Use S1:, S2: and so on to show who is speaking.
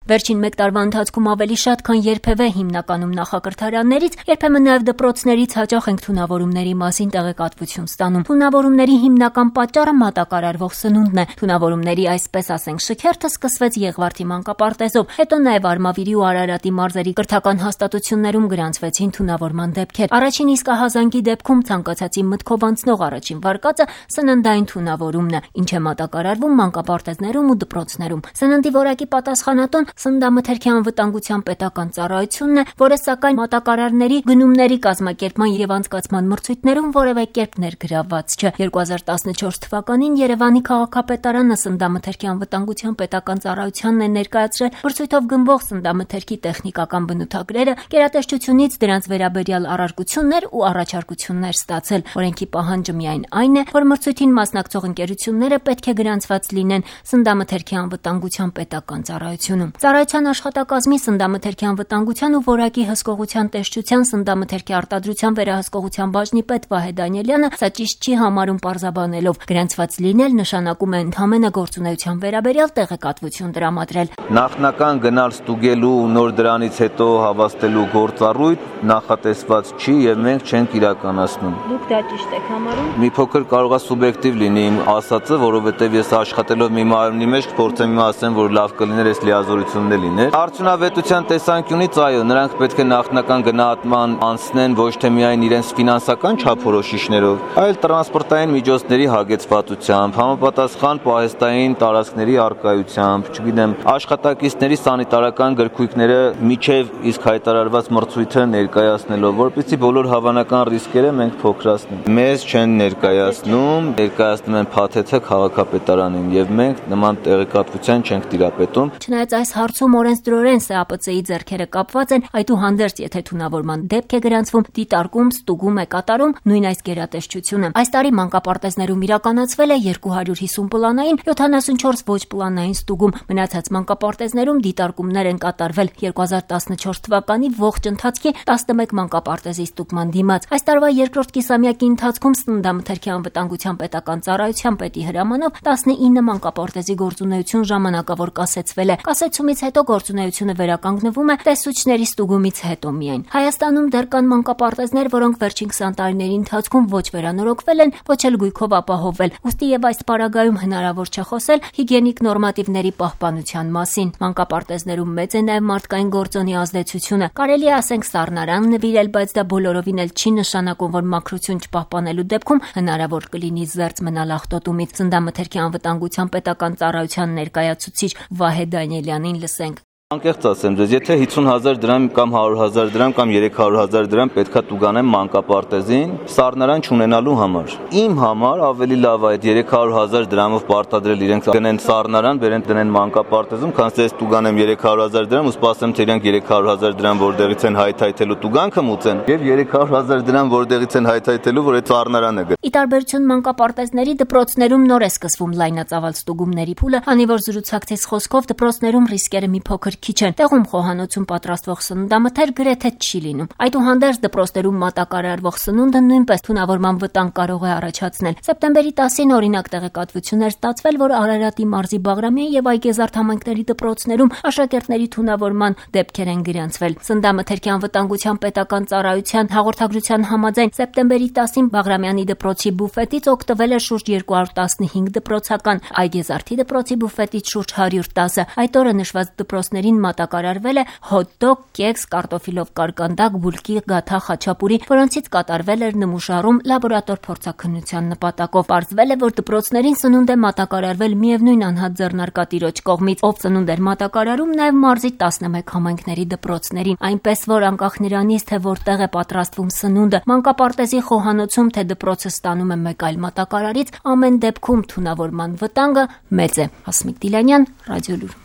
S1: Վերջին մեկ տարվա ընթացքում ավելի շատ, քան երբևէ հիմնականում նախակրթարաններից, երբեմն նաև դպրոցներից հաճախ ենք թունավորումների մասին տեղեկատվություն ստանում։ Թունավորումների հիմնական պատճառը մատակարարվող սնունդն է։ Թունավորումների, այսպես ասենք, շքերթը սկսվեց Եղվարդի մանկապարտեզով, հետո նաև Արմավիրի ու Արարատի մարզերի կրթական հաստատություններում գրանցվեցին թունավորման դեպքեր։ Առաջին իսկ ահազանգի դեպքում ցանկացածի մտքով անցնող առաջին վարկածը սննդային թունավորումն է, ինչ է մատակարարվում մանկապարտեզներում ու դպրոցներում։ Սննդի որակի պատասխանատուն Սննդամթերքի անվտանգության պետական ծառայությունն է, որը սակայն մատակարարների գնումների կազմակերպման եւ անցկացման մրցույթներում որևէ կերպ ներգրավված չէ։ 2014 թվականին Երևանի քաղաքապետարանը Սննդամթերքի անվտանգության պետական ծառայությանն է ներկայացրել մրցույթով գնվող սննդամթերքի տեխնիկական բնութագրերը, գերատեսչությունից դրանց վերաբերյալ առարկություններ ու առաջարկություններ ստացել։ Օրենքի պահանջը միայն այն է, որ մրցույթին մասնակցող ընկերությունները պետք է գրանցված լինեն Սննդամթերքի անվտանգության պետական ծառայությունում։ Ծառայության աշխատակազմի Սննդամթերքի անվտանգության ու որակի հսկողության տեսչության Սննդամթերքի արտադրության վերահսկողության բաժնի պետ Վահե Դանիելյանը սա ճիշտ չի համարում պարզաբանելով։ Գրանցված լինել նշանակում է ընդհանրապես գործունեության վերաբերյալ տեղեկատվություն տրամադրել։
S2: Նախնական գնալ ստուգելու ու նոր դրանից հետո հավաստելու գործառույթ նախատեսված չի եւ մենք չենք իրականացնում։
S1: Դուք դա ճիշտ եք համարում։
S2: Մի փոքր կարող է սուբյեկտիվ լինի իմ ասածը, որովհետեւ ես աշխատելով մի մարմնի մեջ փորձեմ ասեմ, որ լավ կլիներ այս լիազորությունն լիներ։ Արդյունավետության տեսանկյունից այո, նրանք պետք է նախնական գնահատման անցնեն ոչ թե միայն իրենց ֆինանսական չափորոշիչներով, այլ տրանսպորտային միջոցների հագեցվածությամբ, համապատասխան պահեստային տարածքների առկայությամբ, չգիտեմ, աշխատակիցների սանիտարական գրքույկները միջև իսկ հայտարարված մրցույթը ներկայացնելով, որպեսզի բոլոր հավանական ռիսկերը մենք փոքրացնենք։ Մեզ չեն ներկայացնում են փաթեթը քաղաքապետարանին եւ մենք նման տեղեկատվության չենք տիրապետում։
S1: Չնայած այս հարցում օրենսդրորեն ՍԱՊՑ-ի ձեռքերը կապված են, այդուհանդերձ եթե թունավորման դեպք է գրանցվում, դիտարկում, ստուգում է կատարում նույն այս գերատեսչությունը։ Այս տարի մանկապարտեզներում իրականացվել է 250 պլանային, 74 ոչ պլանային ստուգում։ Մնացած մանկապարտեզներում դիտարկումներ են կատարվել 2014 թվականի ողջ ընթացքի 11 մանկապարտեզի ստուգման դիմաց։ Այս տարվա երկրորդ կիսամյակի ընթացքում Սննդամթերքի անվտանգության պետական ծառայության պետի հրամանով 19 մանկապարտեզի գործունեություն ժամանակավոր կասեցվել է։ Կասեցումից հետո գործունեությունը վերականգնվում է տեսուչների ստուգումից հետո միայն։ Հայաստանում դեռ կան մանկապարտեզներ, որոնք վերջին 20 տարիների ընթացքում ոչ վերանորոգվել են, ոչ էլ գույքով ապահովվել։ Ուստի եւ այս պարագայում հնարավոր չէ խոսել հիգիենիկ նորմատիվների պահպանության մասին։ Մանկապարտեզներում մեծ է նաեւ մարդկային գործոնի ազդեցությունը։ Կարելի է ասենք սառնարան նվիրել, բայց դա բոլորովին էլ չի նշանակում, որ մաքրություն չպահպանելու դեպքում հնարավոր կլինի զերծ մնալ աղտոտումից։ Սննդամթերքի անվտանգության պետական ծառայության ներկայացուցիչ Վահե Դանիելյանին լսենք։
S2: Անկեղծ ասեմ ձեզ, եթե 50,000 դրամ կամ 100,000 դրամ կամ 300,000 դրամ պետքա տուգանեմ մանկապարտեզին սառնարան չունենալու համար։ Իմ համար ավելի լավ է այդ 300,000 դրամով պարտադրել իրենք գնեն սառնարան, բերեն դնեն մանկապարտեզում, քան ես տուգանեմ 300,000 դրամ ու սպասեմ թե իրենք 300,000 դրամ որտեղից են հայթայթելու տուգանքը մուծեն եւ 300,000 դրամ որտեղից են հայթայթելու, որ այդ սառնարանը գա։
S1: Ի տարբերություն մանկապարտեզների դպրոցներում նոր է սկսվում լայնածավալ ստուգումների փուլը, քանի որ զրուցակցից խոսքով դպրոցներում ռիսկերը մի փոքր քիչ են։ Տեղում խոհանոցում պատրաստվող սննդամթեր գրեթե չի լինում։ Այդուհանդերձ դպրոցներում մատակարարվող սնունդը նույնպես թունավորման վտանգ կարող է առաջացնել։ Սեպտեմբերի 10-ին օրինակ տեղեկատվություն էր ստացվել, որ Արարատի մարզի Բաղրամյան եւ Այգեզարդ համայնքների դպրոցներում աշակերտների թունավորման դեպքեր են գրանցվել։ Սննդամթերքի անվտանգության պետական ծառայության հաղորդագրության համաձայն սեպտեմբերի 10-ին Բաղրամյանի դպրոցի բուֆետից օգտվել է շուրջ 215 դպրոցական, Այգեզարդի դպրոցի բուֆետից շուրջ 110-ը։ Այդ օրը նշված դպրոցների մատակարարվել է հոտ-դոգ, կեքս, կարտոֆիլով կարկանդակ, բուլկի, գաթա, խաչապուրի, որոնցից կատարվել էր նմուշարում լաբորատոր փորձաքննության նպատակով։ Պարզվել է, որ դպրոցներին սնունդ է մատակարարվել միևնույն անհատ ձեռնարկատիրոջ կողմից, ով սնունդ էր մատակարարում նաև մարզի 11 համայնքների դպրոցներին։ Այնպես որ անկախ նրանից, թե որտեղ է պատրաստվում սնունդը, մանկապարտեզի խոհանոցում, թե դպրոցը ստանում է մեկ այլ մատակարարից, ամեն դեպքում թունավորման վտանգը մեծ է։ Հասմիկ Դիլանյան, Ռադիոլուր։